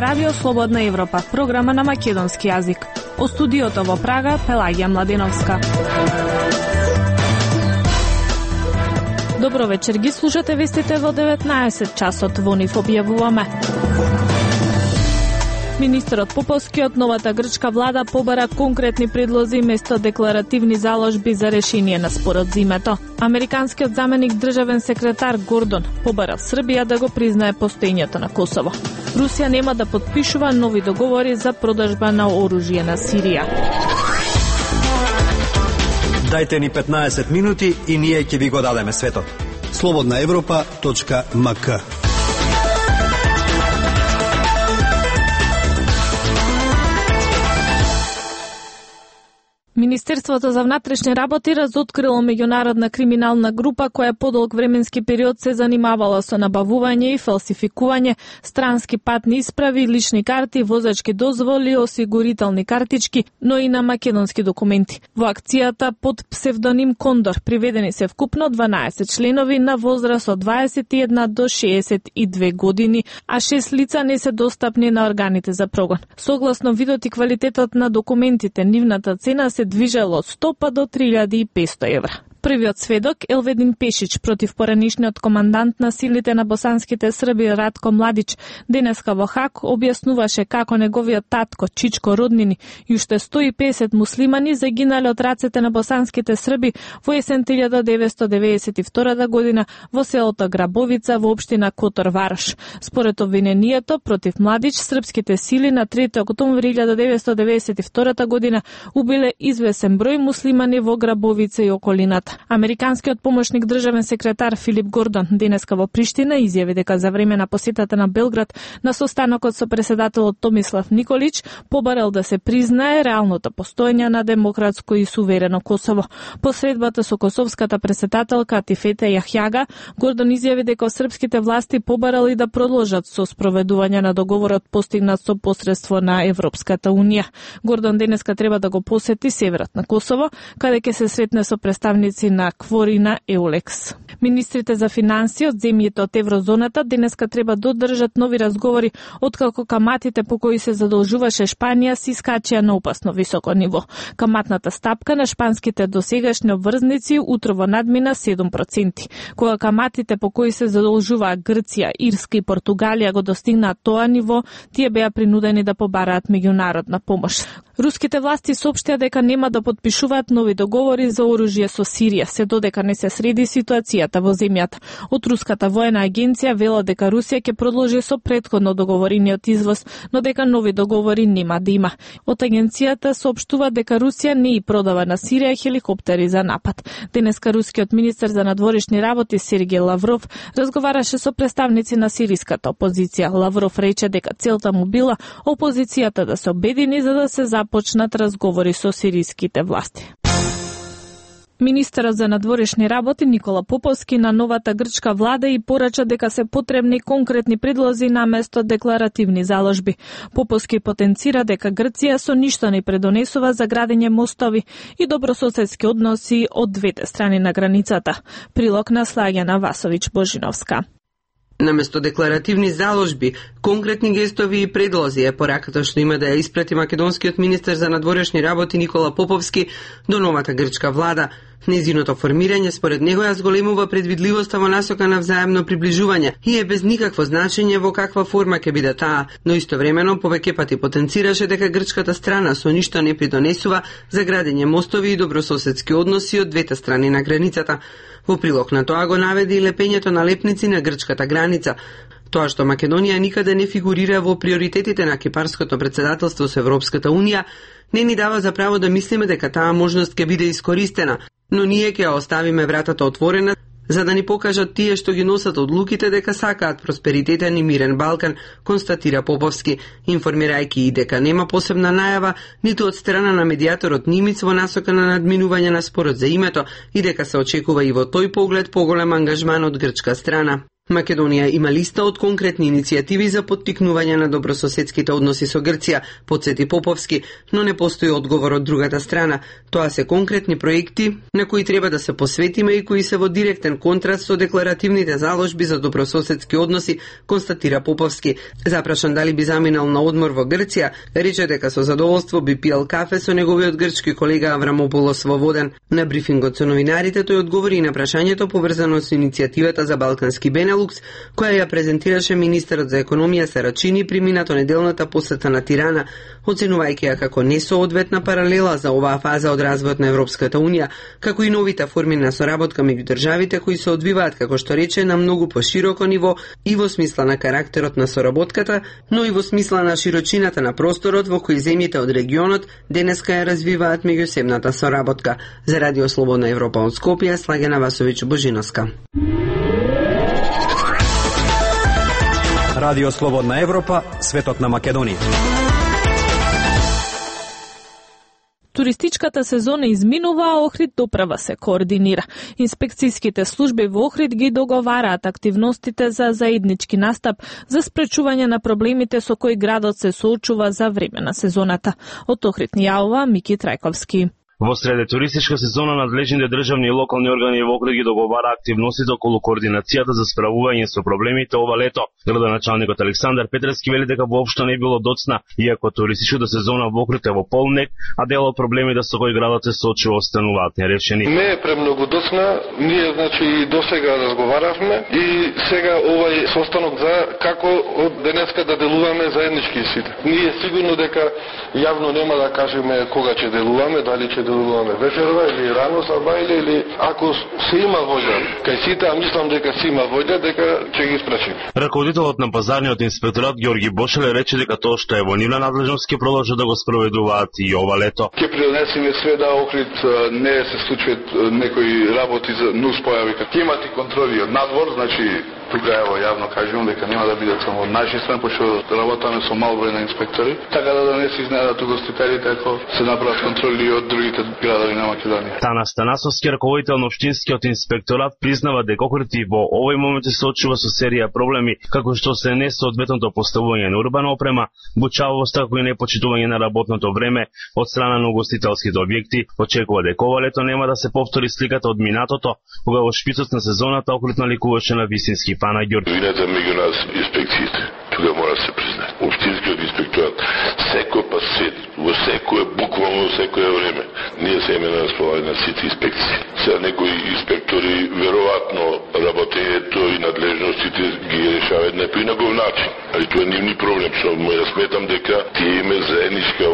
радио Слободна Европа, програма на македонски јазик. О студиото во Прага, Пелагија Младеновска. Добро вечер, ги слушате вестите во 19 часот, во нив објавуваме. Министерот Поповски од новата грчка влада побара конкретни предлози место декларативни заложби за решение на спорот за името. Американскиот заменик државен секретар Гордон побара Србија да го признае постоењето на Косово. Русија нема да потпишува нови договори за продажба на оружје на Сирија. Дајте ни 15 минути и ние ќе ви го дадеме светот. slobodnaevropa.mk. Министерството за внатрешни работи разоткрило меѓународна криминална група која подолг временски период се занимавала со набавување и фалсификување странски патни исправи, лични карти, возачки дозволи, осигурителни картички, но и на македонски документи. Во акцијата под псевдоним Кондор приведени се вкупно 12 членови на возраст од 21 до 62 години, а 6 лица не се достапни на органите за прогон. Согласно видот и квалитетот на документите, нивната цена се движело од 100 па до 3500 евра. Првиот сведок, Елведин Пешич, против поранишниот командант на силите на босанските срби Радко Младич, денеска во Хаг објаснуваше како неговиот татко, чичко, роднини и уште 150 муслимани загинале од рацете на босанските срби во есен 1992 година во селото Грабовица во општина Котор Варош. Според обвинението против Младич, српските сили на 3 октомври 1992 година убиле извесен број муслимани во Грабовица и околината. Американскиот помошник државен секретар Филип Гордон денеска во Приштина изјави дека за време на посетата на Белград на состанокот со председателот Томислав Николич побарал да се признае реалното постоење на демократско и суверено Косово. По средбата со косовската председателка Атифете Јахјага, Гордон изјави дека српските власти побарали да продолжат со спроведување на договорот постигнат со посредство на Европската унија. Гордон денеска треба да го посети северот на Косово, каде ќе се сретне со представници на КФОР и на Еулекс. Министрите за финансии од земјите од еврозоната денеска треба да одржат нови разговори откако каматите по кои се задолжуваше Шпанија се искачија на опасно високо ниво. Каматната стапка на шпанските досегашни обврзници утрово надмина 7%. Кога каматите по кои се задолжуваа Грција, Ирска и Португалија го достигнаат тоа ниво, тие беа принудени да побараат меѓународна помош. Руските власти соопштија дека нема да потпишуваат нови договори за оружје со Сирија, се додека не се среди ситуацијата во земјата. Од Руската воена агенција вела дека Русија ќе продолжи со претходно договорениот извоз, но дека нови договори нема да има. Од агенцијата соопштува дека Русија не и продава на Сирија хеликоптери за напад. Денеска рускиот министер за надворешни работи Сергеј Лавров разговараше со представници на сириската опозиција. Лавров рече дека целта му била опозицијата да се обедини за да се започнат разговори со сириските власти. Министерот за надворешни работи Никола Поповски на новата грчка влада и порача дека се потребни конкретни предлози наместо декларативни заложби. Поповски потенцира дека Грција со ништо не предонесува за градење мостови и добрососедски односи од двете страни на границата. Прилог на Слаѓана Васовиќ-Божиновска. Наместо декларативни заложби, конкретни гестови и предлози е пораката што има да ја испрати македонскиот министер за надворешни работи Никола Поповски до новата грчка влада. Незиното формирање според него ја зголемува предвидливоста во насока на взаемно приближување и е без никакво значење во каква форма ќе биде таа, но истовремено повеќе пати потенцираше дека грчката страна со ништо не придонесува за градење мостови и добрососедски односи од двете страни на границата. Во прилог на тоа го наведе и лепењето на лепници на грчката граница. Тоа што Македонија никаде не фигурира во приоритетите на кипарското председателство со Европската унија, не ни дава за право да мислиме дека таа можност ќе биде искористена, но ние ќе ја оставиме вратата отворена за да ни покажат тие што ги носат одлуките дека сакаат просперитетен и мирен Балкан, констатира Поповски, информирајќи и дека нема посебна најава ниту од страна на медијаторот Нимиц во насока на надминување на спорот за името и дека се очекува и во тој поглед поголем ангажман од грчка страна. Македонија има листа од конкретни иницијативи за поттикнување на добрососедските односи со Грција, потсети Поповски, но не постои одговор од другата страна. Тоа се конкретни проекти на кои треба да се посветиме и кои се во директен контраст со декларативните заложби за добрососедски односи, констатира Поповски. Запрашан дали би заминал на одмор во Грција, рече дека со задоволство би пиел кафе со неговиот грчки колега Аврамополос во Воден. На брифингот со новинарите тој одговори на прашањето поврзано со иницијативата за Балкански Бенелукс, која ја презентираше министерот за економија Сарачини при минато неделната посета на Тирана, оценувајќи ја како несоодветна паралела за оваа фаза од развојот на Европската унија, како и новите форми на соработка меѓу државите кои се одвиваат, како што рече, на многу пошироко ниво и во смисла на карактерот на соработката, но и во смисла на широчината на просторот во кој земјите од регионот денеска ја развиваат меѓусебната соработка. За Радио Слободна Европа од Скопје, Слагена Васовиќ Божиновска. Радио Слободна Европа, светот на Македонија. Туристичката сезона изминува, а Охрид доправа се координира. Инспекцијските служби во Охрид ги договараат активностите за заеднички настап за спречување на проблемите со кои градот се соочува за време на сезоната. Од Охрид ни јавува Мики Трајковски. Во среде туристичка сезона надлежните државни и локални органи во Охрид ги договара активностите околу координацијата за справување со проблемите ова лето. Градоначалникот Александар Петревски вели дека воопшто не било доцна, иако туристичката сезона во Охрид е во полнек, а дел од проблемите со кои градот се соочува остануваат нерешени. Не е премногу доцна, ние значи досега разговаравме и сега овај состанок за како од денеска да делуваме заеднички сите. Ние сигурно дека јавно нема да кажеме кога ќе делуваме, дали ќе делуваме вечерва или рано сабајле или ако се има воља кај сите, а мислам дека се има воља, дека ќе ги спречиме. Раководителот на пазарниот инспекторат Ѓорги Бошеле рече дека тоа што е во нивна надлежност ќе продолжат да го спроведуваат и ова лето. Ќе пренесеме све да Охрид не се случуваат некои работи за нус појави, ќе имате контроли од надвор, значи тука ево јавно кажувам дека нема да бидат само од наши страни, пошто работаме со мал број на инспектори, така да не се изненадат угостителите ако се направат контроли од другите градови на Македонија. Танас Танасовски, раководител на општинскиот инспекторат, признава дека Охрид и во овој момент се соочува со серија проблеми, како што се несоодветното поставување на урбана опрема, бучавост, како и непочитување на работното време од страна на угостителските објекти. Очекува дека ова лето нема да се повтори сликата од минатото, кога во шпицот на сезоната Охрид наликуваше на вистински панагјор. Вината меѓу нас инспекциите, тука мора да се признае. Општинскиот инспекторат секој пат во секое, буквално во секое време. Ние се име на располагање на сите инспекции. Сега некои инспектори веројатно работењето и надлежностите ги решаваат на поинаков начин. Али тоа е нивни проблем, што ја сметам дека тие име заедничка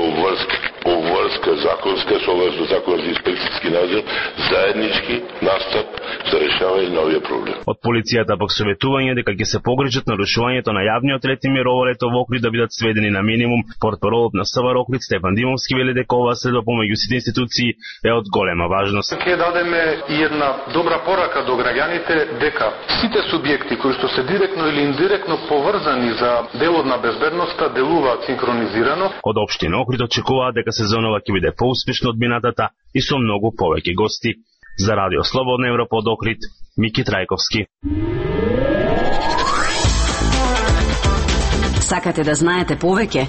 обврска законска со закон за инспекцијски надзор, заеднички настап за решавање на овие проблеми. Од полицијата пак советување дека ќе се погрижат нарушувањето на јавниот ред и мир ова лето во Охрид да бидат сведени на минимум. Портпаролот на СВР Охрид Стефан Димовски вели дека оваа следба помеѓу сите институции е од голема важност. Ќе дадеме и една добра порака до граѓаните дека сите субјекти кои што се директно или индиректно поврзани за делот на безбедноста делуваат синхронизирано. Од општина Охрид очекуваат дека сезонова ќе биде поуспешна од минатата и со многу повеќе гости. За Радио Слободна Европа од Охрид, Мики Трајковски. Сакате да знаете повеќе?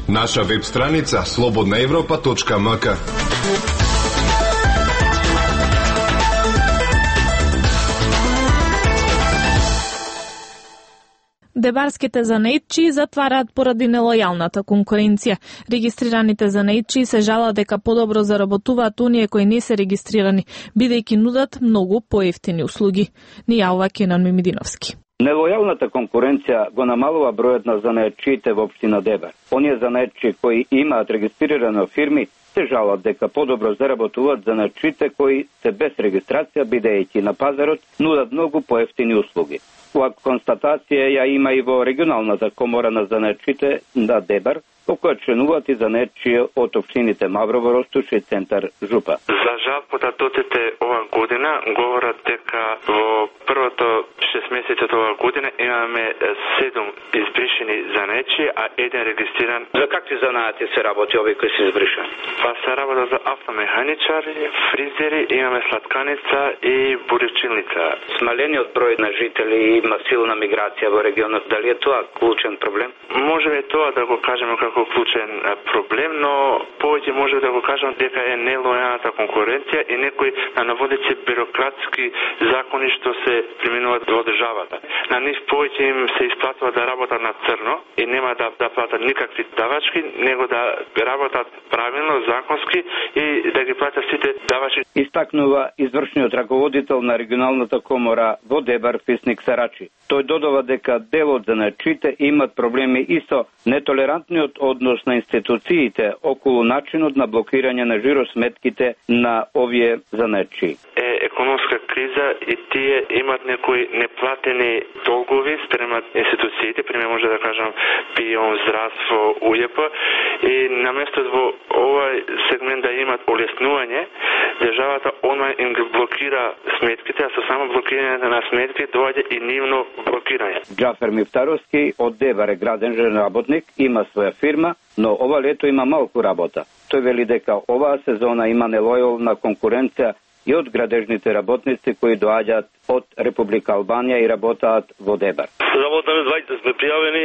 Наша веб страница slobodnaevropa.mk. Дебарските занаетчии затвараат поради нелојалната конкуренција. Регистрираните занаетчии се жалат дека подобро заработуваат оние кои не се регистрирани, бидејќи нудат многу поевтини услуги. Ни јавува Кенан Мимидиновски. Нелојалната конкуренција го намалува бројот на занаетчиите во општина Дебар. Оние занаетчи кои имаат регистрирани фирми се жалат дека подобро заработуваат занаетчиите кои се без регистрација, бидејќи на пазарот нудат многу поевтини услуги. Ова констатација ја има и во регионалната комора на занаетчите на Дебар, во која членуваат и занечие од општините Маврово, Ростуш и Центар Жупа. За жал, податоците ова година говорат дека во првото 6 месеци од ова година имаме 7 избришени занечи, а 1 регистриран. За какви занаати се работи овие кои се избришани? Па се работа за автомеханичари, фризери, имаме сладканица и буривчилница. Смалениот број на жители има силна миграција во регионот. Дали е тоа клучен проблем? Може би тоа да го кажеме како клучен проблем, но повеќе може да го кажам дека е нелојалната конкуренција и некои на наводици бюрократски закони што се применуваат во државата. На нив повеќе им се исплатува да работат на црно и нема да платат никакви давачки, него да работат правилно, законски и да ги платат сите давачки. Истакнува извршниот раководител на регионалната комора во Дебар Фисник Сарачи. Тој додава дека дел од занаечите имат проблеми и со нетолерантниот однос на институциите околу начинот на блокирање на жиросметките на овие занаечи. Економска криза и тие имат некои неплатени долгови спрема институциите, пример може да кажам ПИОН, здравство, УЈП, и наместо во овој сегмент да имат олеснување, државата онлайн им блокира сметките, а со само блокирање на сметки доаѓа и нивно блокирање. Џафер Мифтаровски од Дебар е граден работник, има своја фирма, но ова лето има малку работа. Тој вели дека оваа сезона има нелојална конкуренција и од градежните работници кои доаѓаат од Република Албанија и работаат во Дебар. Работаме 20 сме пријавени,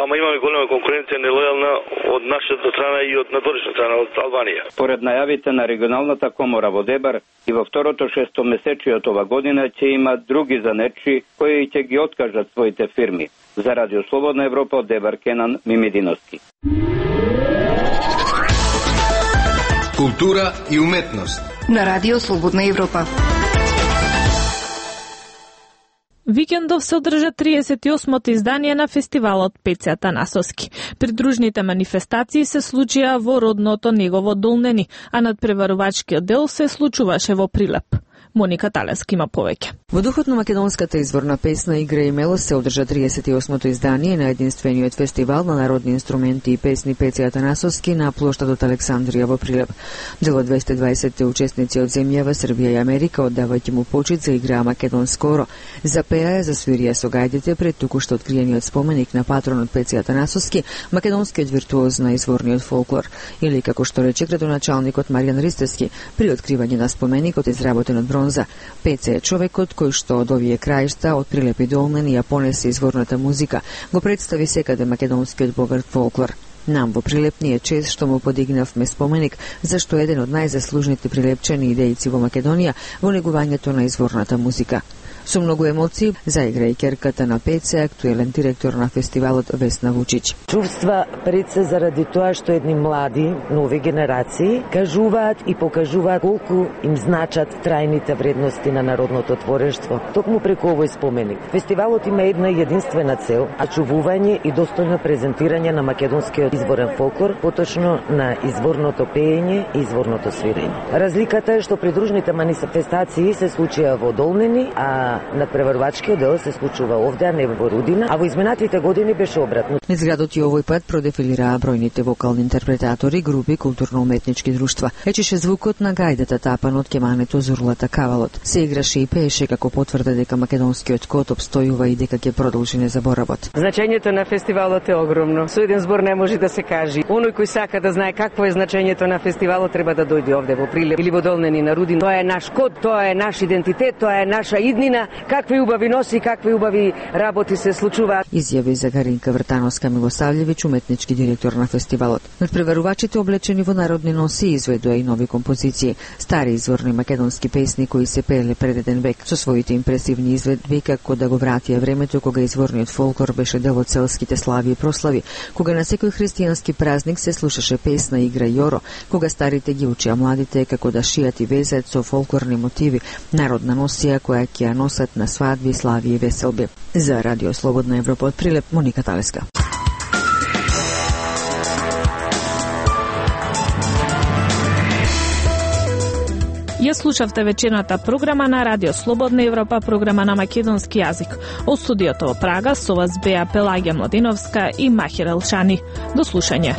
ама имаме голема конкуренција нелојална од нашата страна и од надворешна страна од Албанија. Поред најавите на регионалната комора во Дебар, и во второто 6 месечие од ова година ќе има други занечи кои ќе ги откажат своите фирми. За Радио Слободна Европа од Дебар Кенан Мимединовски. Култура и уметност на Радио Слободна Европа. Викендов се одржа 38-то издание на фестивалот Пеце Атанасовски. Придружните манифестации се случија во родното негово Долнени, а надпреварувачкиот дел се случуваше во Прилеп. Моника Талеска има повеќе. Во духот на македонската изворна песна Игра и мелост се одржа 38-то издание на единствениот фестивал на народни инструменти и песни Пеце Атанасовски на плоштадот Александрија во Прилеп. Дел од 220 учесници од земјава Србија и Америка, оддавајќи му почит за играа македонскоро, запеа засвирија со гајдите пред токушто откриениот споменик на патронот Пеце Атанасовски, македонскиот виртуоз на изворниот фолклор, или како што рече градоначалникот Маријан Ристевски при откривање на споменикот изработен од бронза. Пеце е човекот кој што од овие краишта, од Прилеп и Долнени, ја понесе изворната музика, го представи секаде македонскиот богат фолклор. Нам во Прилеп ни е чест што му подигнавме споменик, зашто еден од најзаслужните прилепчани идејци во Македонија во негувањето на изворната музика. Со многу емоции заигра и керката на Пеце, актуелен директор на фестивалот Весна Вучич. Чувства пред се заради тоа што едни млади, нови генерации кажуваат и покажуваат колку им значат трајните вредности на народното творештво. Токму преку овој споменик. Фестивалот има една единствена цел, а чувување и достојно презентирање на македонскиот изворен фолклор, поточно на изворното пеење и изворното свирење. Разликата е што придружните манифестации се случија во Долнени, а надпреварувачкиот дел се случува овде, а не во Рудина, а во изминатите години беше обратно. Низ градот и овој пат продефилираа бројните вокални интерпретатори, групи, културно-уметнички друштва. Ечеше звукот на гајдата тапан од кемането Зурлата Кавалот. Се играше и пееше како потврда дека македонскиот код обстојува и дека ќе продолжи незаборавот. Значењето на фестивалот е огромно. Со еден збор не може да се каже. Оној кој сака да знае какво е значењето на фестивалот треба да дојде овде во Прилеп или во Долнени на Рудин. Тоа е наш код, тоа е наш идентитет, тоа е наша иднина. Какви убави носи, какви убави работи се случуваат. Изјави за Гаринка Вртановска Милосављевиќ, уметнички директор на фестивалот. Надпреварувачите облечени во народни носи изведоа и нови композиции, стари изворни македонски песни кои се пееле пред еден век, со своите импресивни изведби како да го вратија времето кога изворниот фолклор беше дел од селските слави и прослави, кога на секој христијански празник се слушаше песна Игра и Јоро, кога старите ги учеа младите како да шијат и везат со фолклорни мотиви, народна носија која ќе ја носат на свадби, слави и веселби. За Радио Слободна Европа од Прилеп, Моника Талеска. Ја слушавте вечерната програма на Радио Слободна Европа, програма на македонски јазик. Од студиото во Прага со вас беа Пелагија Младиновска и Махир Елшани. До слушање.